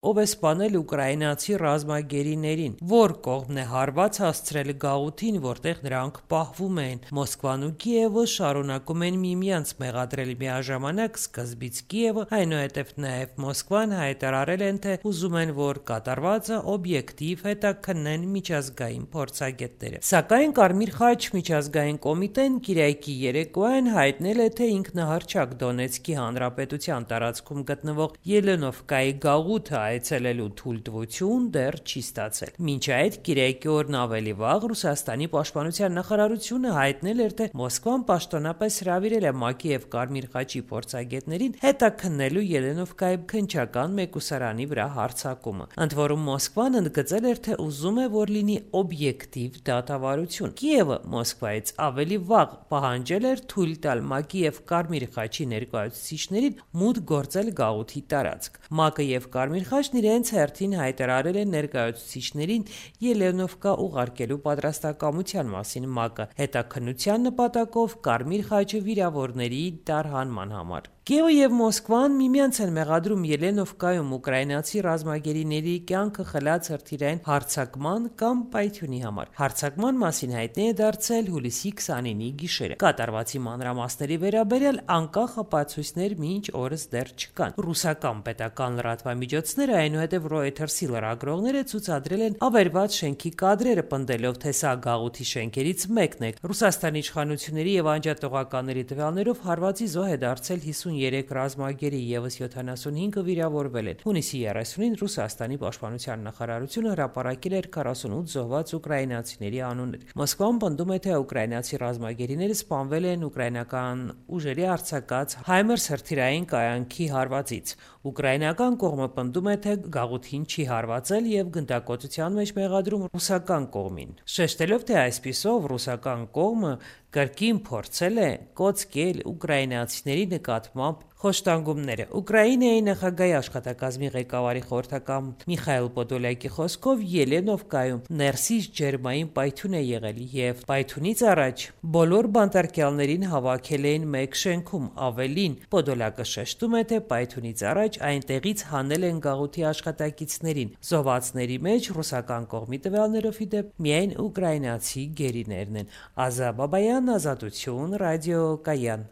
Ով է սպանել ուկրաինացի ռազմագերիներին, որ կողմն է հարված հասցրել գաղութին, որտեղ նրանք պահվում էին։ Մոսկվան ու Կիևը շարունակում են միմյանց մեղադրել միաժամանակ, սկզբից Կիևը, այնուհետև նաև Մոսկվան հայտարարել են, թե ուզում են, որ կատարվածը օբյեկտիվ հետաքննեն միջազգային փորձագետները։ Սակայն Կարմիր խաչ միջազգային կոմիտեն Կիրակի երեկոյան հայտնել է, թե ինքնահռչակ Դոնեցկի հանրապետության տարածքում գտնվող Ելենովկայի գաղութը այցելելու թույլտվություն դեռ չի ստացել։ Մինչ այդ Կիրակի օրն ավելի վաղ Ռուսաստանի պաշտպանության նախարարությունը հայտնել էր, թե Մոսկվան պաշտոնապես հրավիրել է ՄԱԿ-ի և Կարմիր խաչի փորձագետներին հետաքննելու Ելենովկայի քննչական մեկուսարանի վրա հարձակումը։ Ընդ որում Մոսկվան ընդգծել էր, թե ուզում է, որ լինի օբյեկտիվ դատավարություն։ Կիևը Մոսկվայից ավելի վաղ պահանջել էր թույլ տալ ՄԱԿ-ի և Կարմիր խաչի ներկայացուցիչներին մուտք գործել գաղութի տարածք։ ՄԱԿ-ը և Կարմիր խաչն իրենց հերթին հայտարարել են ներկայացուցիչներին Ելենովկա ուղարկելու պատրաստակամության մասին ՄԱԿ-ը հետաքննության նպատակով Կարմիր խաչը վիրավորների տարհանման համար։ Կիևը և Մոսկվան միմյանց են մեղադրում Ելենովկայում ուկրաինացի ռազմագերիների կյանքը խլած հրթիռային հարձակման կամ պայթյունի համար։ Հարձակման մասին հայտնի է դարձել հուլիսի 29-ի գիշերը։ Կատարվածի մանրամասների վերաբերյալ անկախ ապացույցներ մինչ օրս դեռ չկան։ Ռուսական պետական լրատվամիջոցները, այնուհետև Reuters-ի լրագրողները ցուցադրել են ավերված շենքի կադրերը, պնդելով, թե սա գաղութի շենքերից մեկն է։ Ռուսաստանի իշխանությունների և անջատողականների տվյալներով հարվածի զոհ է դարձել 53 ռազմագերի, ևս 75-ը վիրավորվել են։ Հունիսի 30-ին Ռուսաստանի պաշտպանության նախարարությունը հրապարակել էր 48 զոհված ուկրաինացիների անուններ։ Մոսկվան պնդում է, թե ուկրաինացի ռազմագերիները սպանվել են ուկրաինական ուժերի արձակած HIMARS հրթիռային կայանքի հարվածից։ Ուկրաինական կողմը պնդում է, թե գաղութին չի հարվածել և գնդակոծության մեջ մեղադրում ռուսական կողմին, շեշտելով, թե այսպիսով ռուսական կողմը կրկին փորձել է կոծկել ուկրաինացիների նկատմամբ խոշտանգումները։ Ուկրաինայի նախագահի աշխատակազմի ղեկավարի խորհրդական Միխայիլ Պոդոլյակի խոսքով Ելենովկայում ներսից ջերմային պայթյուն է եղել և պայթյունից առաջ բոլոր բանտարկյալներին հավաքել էին մեկ շենքում։ Ավելին, Պոդոլյակը շեշտում է, թե պայթյունից առաջ այնտեղից հանել են գաղութի աշխատակիցներին։ Զոհվածների մեջ ռուսական կողմի տվյալներով ի դեպ միայն ուկրաինացի գերիներն են։ Ազա Բաբայան, Ազատություն, Ռադիո Կայան։